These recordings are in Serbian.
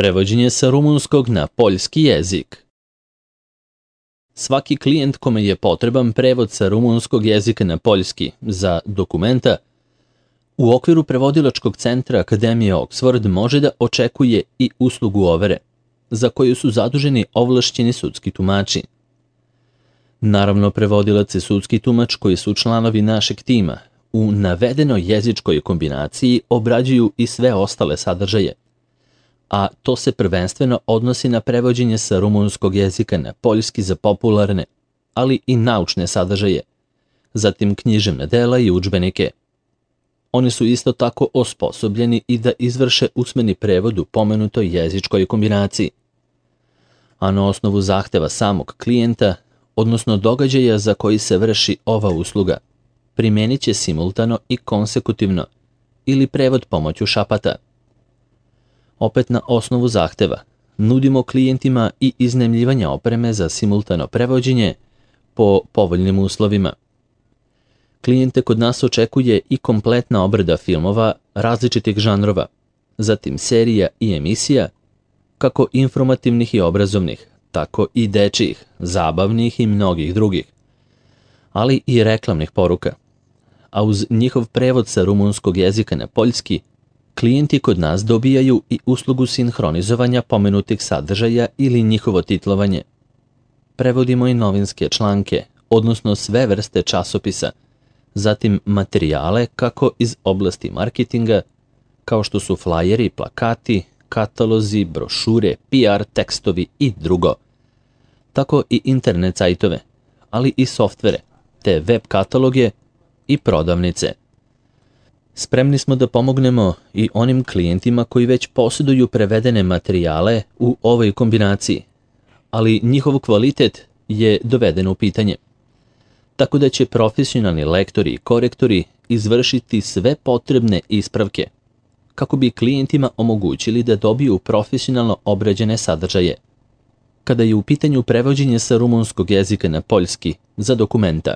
Prevođenje sa rumunskog na poljski jezik. Svaki klijent kome je potreban prevod sa rumunskog jezika na poljski za dokumenta, u okviru prevodilačkog centra Akademije Oxford može da očekuje i uslugu overe, za koju su zaduženi ovlašćeni sudski tumači. Naravno, prevodilac i sudski tumač koji su članovi našeg tima u navedenoj jezičkoj kombinaciji obrađuju i sve ostale sadržaje, a to se prvenstveno odnosi na prevođenje sa rumunskog jezika na poljski za popularne, ali i naučne sadržaje, zatim književna dela i udžbenike. Oni su isto tako osposobljeni i da izvrše usmeni prevod u pomenutoj jezičkoj kombinaciji. A na osnovu zahteva samog klijenta, odnosno događaja za koji se vrši ova usluga, primenit će simultano i konsekutivno ili prevod pomoću šapata. Opet na osnovu zahteva, nudimo klijentima i iznajmljivanje opreme za simultano prevođenje po povoljnim uslovima. Klijente kod nas očekuje i kompletna obrada filmova različitih žanrova, zatim serija i emisija, kako informativnih i obrazovnih, tako i dečijih, zabavnih i mnogih drugih, ali i reklamnih poruka. A uz njihov prevod sa rumunskog jezika na poljski, klijenti kod nas dobijaju i uslugu sinhronizovanja pomenutih sadržaja ili njihovo titlovanje. Prevodimo i novinske članke, odnosno sve vrste časopisa, zatim materijale kako iz oblasti marketinga, kao što su flajeri, plakati, katalozi, brošure, PR tekstovi i drugo. Tako i internet sajtove, ali i softvere, te web kataloge i prodavnice. Spremni smo da pomognemo i onim klijentima koji već posjeduju prevedene materijale u ovoj kombinaciji, ali njihov kvalitet je doveden u pitanje. Tako da će profesionalni lektori i korektori izvršiti sve potrebne ispravke, kako bi klijentima omogućili da dobiju profesionalno obrađene sadržaje. Kada je u pitanju prevođenje sa rumunskog jezika na poljski za dokumenta,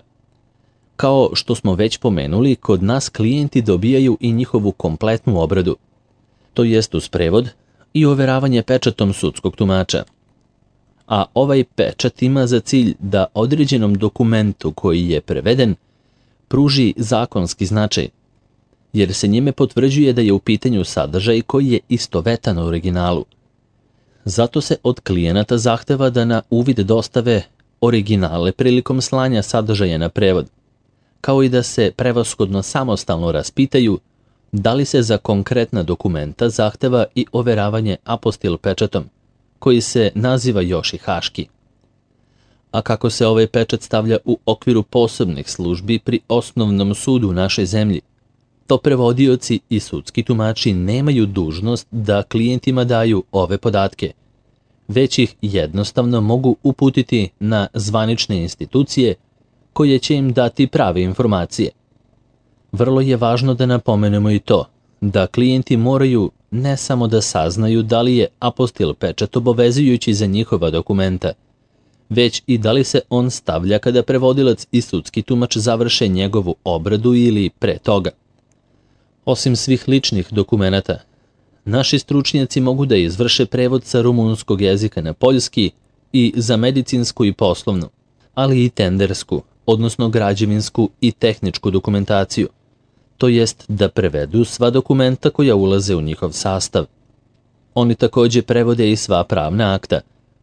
kao što smo već pomenuli, kod nas klijenti dobijaju i njihovu kompletnu obradu, to jest uz prevod i overavanje pečatom sudskog tumača. A ovaj pečat ima za cilj da određenom dokumentu koji je preveden pruži zakonski značaj, jer se njime potvrđuje da je u pitanju sadržaj koji je istovetan u originalu. Zato se od klijenata zahteva da na uvid dostave originale prilikom slanja sadržaja na prevod, kao i da se prevashodno samostalno raspitaju da li se za konkretna dokumenta zahteva i overavanje apostil pečatom, koji se naziva još i haški. A kako se ovaj pečat stavlja u okviru posebnih službi pri osnovnom sudu u našoj zemlji, to prevodioci i sudski tumači nemaju dužnost da klijentima daju ove podatke, već ih jednostavno mogu uputiti na zvanične institucije koje će im dati prave informacije. Vrlo je važno da napomenemo i to, da klijenti moraju ne samo da saznaju da li je apostil pečat obavezujući za njihova dokumenta, već i da li se on stavlja kada prevodilac i sudski tumač završe njegovu obradu ili pre toga. Osim svih ličnih dokumenata, naši stručnjaci mogu da izvrše prevod sa rumunskog jezika na poljski i za medicinsku i poslovnu, ali i tendersku, odnosno građevinsku i tehničku dokumentaciju, to jest da prevedu sva dokumenta koja ulaze u njihov sastav. Oni također prevode i sva pravna akta,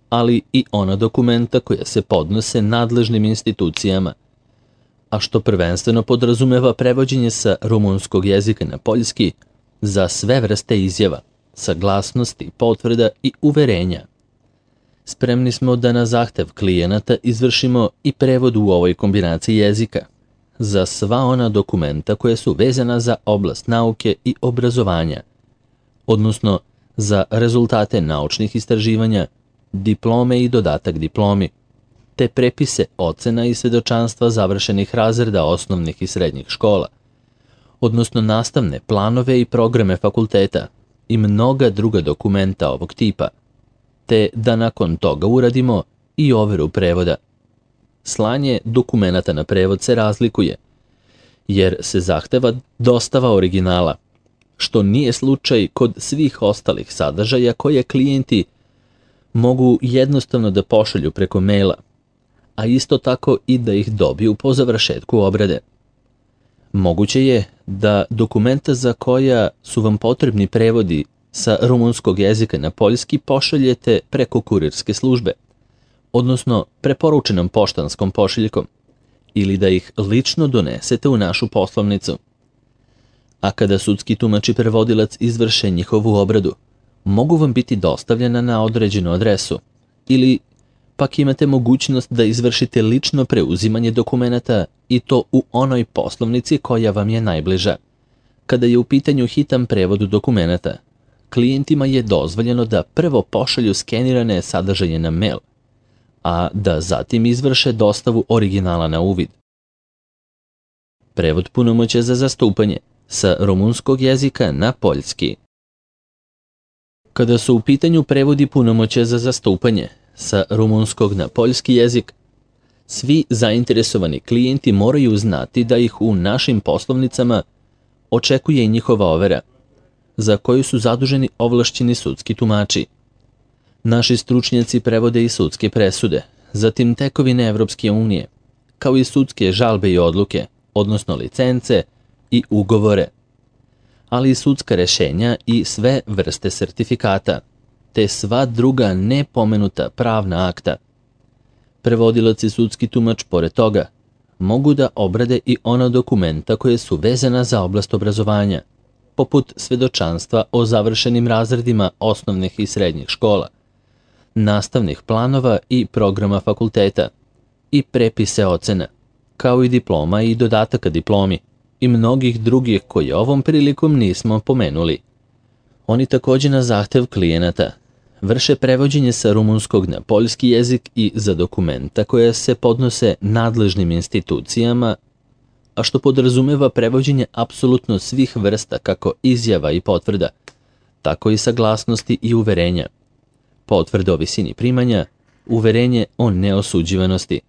ali i ona dokumenta koja se podnose nadležnim institucijama, a što prvenstveno podrazumeva prevođenje sa rumunskog jezika na poljski za sve vrste izjava, saglasnosti, potvrda i uverenja. Spremni smo da na zahtev klijenata izvršimo i prevod u ovoj kombinaciji jezika za sva ona dokumenta koja su vezana za oblast nauke i obrazovanja, odnosno za rezultate naučnih istraživanja, diplome i dodatak diplomi, te prepise ocena i svedočanstva završenih razreda osnovnih i srednjih škola, odnosno nastavne planove i programe fakulteta i mnoga druga dokumenta ovog tipa, te da nakon toga uradimo i overu prevoda. Slanje dokumenata na prevod se razlikuje, jer se zahteva dostava originala, što nije slučaj kod svih ostalih sadržaja koje klijenti mogu jednostavno da pošalju preko maila, a isto tako i da ih dobiju po završetku obrade. Moguće je da dokumenta za koja su vam potrebni prevodi sa rumunskog jezika na poljski pošaljete preko kurirske službe, odnosno preporučenom poštanskom pošiljkom, ili da ih lično donesete u našu poslovnicu. A kada sudski tumač i prevodilac izvrše njihovu obradu, mogu vam biti dostavljena na određenu adresu, ili pak imate mogućnost da izvršite lično preuzimanje dokumenata i to u onoj poslovnici koja vam je najbliža. Kada je u pitanju hitan prevod dokumenata, klijentima je dozvoljeno da prvo pošalju skenirane sadržaje na mail, a da zatim izvrše dostavu originala na uvid. Prevod punomoćja za zastupanje sa rumunskog jezika na poljski. Kada su u pitanju prevodi punomoćja za zastupanje sa rumunskog na poljski jezik, svi zainteresovani klijenti moraju znati da ih u našim poslovnicama očekuje i njihova overa, za koju su zaduženi ovlašćeni sudski tumači. Naši stručnjaci prevode i sudske presude, zatim tekovine Evropske unije, kao i sudske žalbe i odluke, odnosno licence i ugovore, ali i sudska rešenja i sve vrste sertifikata, te sva druga nepomenuta pravna akta. Prevodilac i sudski tumač, pored toga, mogu da obrade i ona dokumenta koje su vezana za oblast obrazovanja, poput svedočanstva o završenim razredima osnovnih i srednjih škola, nastavnih planova i programa fakulteta i prepise ocena, kao i diploma i dodataka diplomi i mnogih drugih koje ovom prilikom nismo pomenuli. Oni također na zahtev klijenata vrše prevođenje sa rumunskog na poljski jezik i za dokumenta koje se podnose nadležnim institucijama, a što podrazumeva prevođenje apsolutno svih vrsta kako izjava i potvrda, tako i saglasnosti i uverenja, potvrde o visini primanja, uverenje o neosuđivanosti,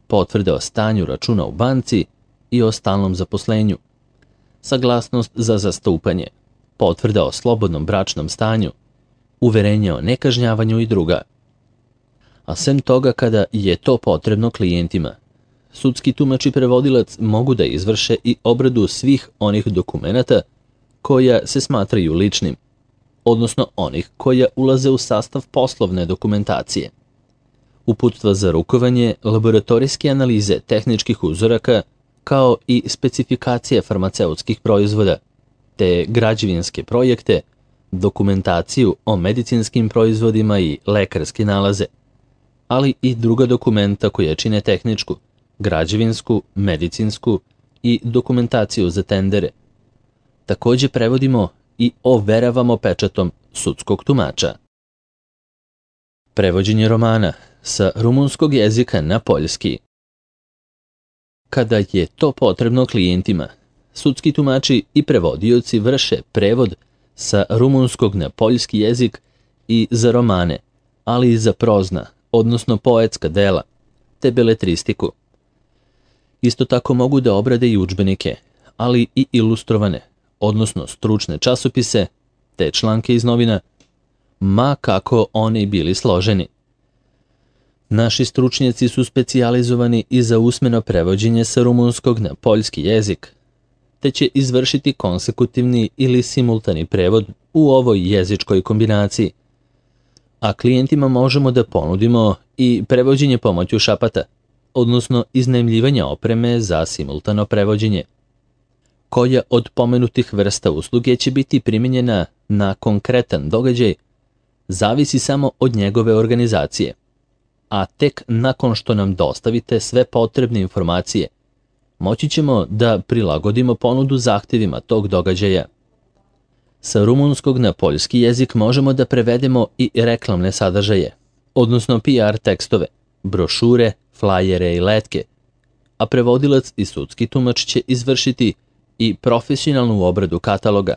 potvrde o stanju računa u banci i o stalnom zaposlenju, saglasnost za zastupanje, potvrda o slobodnom bračnom stanju, uverenje o nekažnjavanju i druga. A sem toga, kada je to potrebno klijentima, sudski tumač i prevodilac mogu da izvrše i obradu svih onih dokumenata koja se smatraju ličnim, odnosno onih koja ulaze u sastav poslovne dokumentacije. Uputstva za rukovanje, laboratorijske analize tehničkih uzoraka, kao i specifikacije farmaceutskih proizvoda, te građevinske projekte, dokumentaciju o medicinskim proizvodima i lekarske nalaze, ali i druga dokumenta koja čine tehničku, građevinsku, medicinsku i dokumentaciju za tendere. Također prevodimo i overavamo pečatom sudskog tumača. Prevođenje romana sa rumunskog jezika na poljski. Kada je to potrebno klijentima, sudski tumači i prevodioci vrše prevod sa rumunskog na poljski jezik i za romane, ali i za prozna, odnosno poetska dela, te beletristiku. Isto tako mogu da obrade i udžbenike, ali i ilustrovane, odnosno stručne časopise, te članke iz novina, ma kako oni bili složeni. Naši stručnjaci su specijalizovani i za usmeno prevođenje sa rumunskog na poljski jezik, te će izvršiti konsekutivni ili simultani prevod u ovoj jezičkoj kombinaciji. A klijentima možemo da ponudimo i prevođenje pomoću šapata, odnosno iznajmljivanje opreme za simultano prevođenje. Koja od pomenutih vrsta usluge će biti primijenjena na konkretan događaj, zavisi samo od njegove organizacije, a tek nakon što nam dostavite sve potrebne informacije, moći ćemo da prilagodimo ponudu zahtjevima tog događaja. Sa rumunskog na poljski jezik možemo da prevedemo i reklamne sadržaje, odnosno PR tekstove, brošure, flajere i letke, a prevodilac i sudski tumač će izvršiti i profesionalnu obradu kataloga,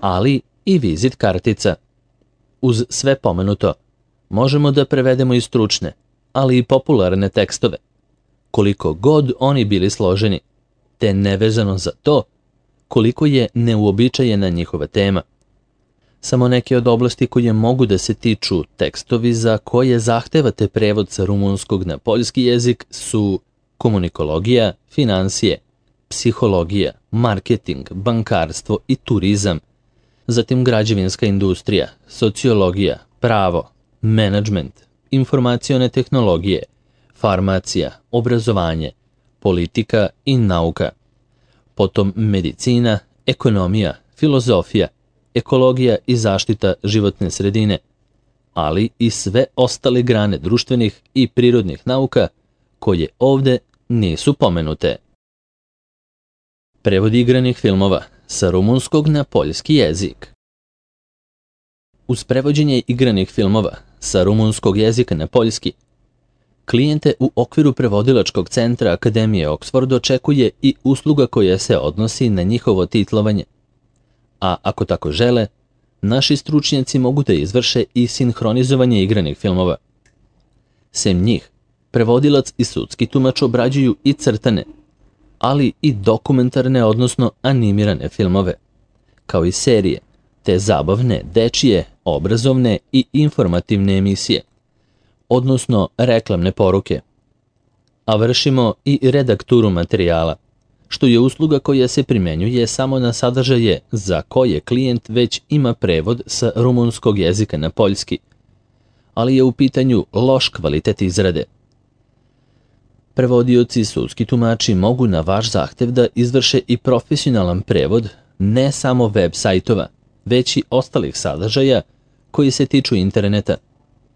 ali i vizit kartica. Uz sve pomenuto, možemo da prevedemo i stručne, ali i popularne tekstove, koliko god oni bili složeni, te nevezano za to koliko je neuobičajena njihova tema. Samo neke od oblasti koje mogu da se tiču tekstovi za koje zahtevate prevod sa rumunskog na poljski jezik su komunikologija, finansije, psihologija, marketing, bankarstvo i turizam, zatim građevinska industrija, sociologija, pravo, menadžment, informacione tehnologije, farmacija, obrazovanje, politika i nauka, potom medicina, ekonomija, filozofija, ekologija i zaštita životne sredine, ali i sve ostale grane društvenih i prirodnih nauka koje ovde nisu pomenute. Prevod igranih filmova sa rumunskog na poljski jezik. Uz prevođenje igranih filmova sa rumunskog jezika na poljski, klijente u okviru prevodilačkog centra Akademije Oxford očekuje i usluga koja se odnosi na njihovo titlovanje. A ako tako žele, naši stručnjaci mogu da izvrše i sinhronizovanje igranih filmova. Sem njih, prevodilac i sudski tumač obrađuju i crtane, ali i dokumentarne, odnosno animirane filmove, kao i serije, te zabavne, dečije, obrazovne i informativne emisije, odnosno reklamne poruke. A vršimo i redakturu materijala, što je usluga koja se primenjuje samo na sadržaje za koje klijent već ima prevod sa rumunskog jezika na poljski, ali je u pitanju loš kvalitet izrade. Prevodioci i sudski tumači mogu na vaš zahtev da izvrše i profesionalan prevod ne samo web sajtova, već i ostalih sadržaja koji se tiču interneta,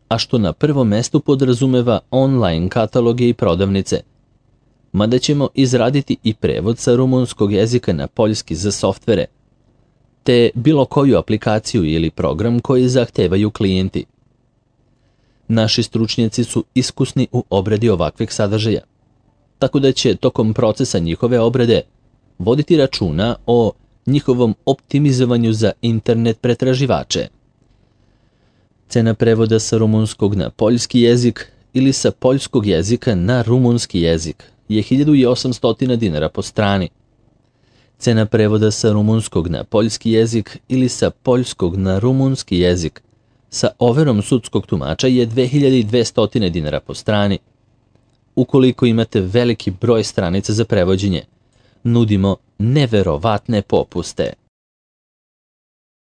a što na prvom mestu podrazumeva online kataloge i prodavnice, mada ćemo izraditi i prevod sa rumunskog jezika na poljski za softvere, te bilo koju aplikaciju ili program koji zahtevaju klijenti. Naši stručnjaci su iskusni u obradi ovakvih sadržaja, tako da će tokom procesa njihove obrade voditi računa o njihovom optimizovanju za internet pretraživače. Cena prevoda sa rumunskog na poljski jezik ili sa poljskog jezika na rumunski jezik je 1800 dinara po strani. Cena prevoda sa rumunskog na poljski jezik ili sa poljskog na rumunski jezik sa overom sudskog tumača je 2200 dinara po strani. Ukoliko imate veliki broj stranica za prevođenje, nudimo neverovatne popuste.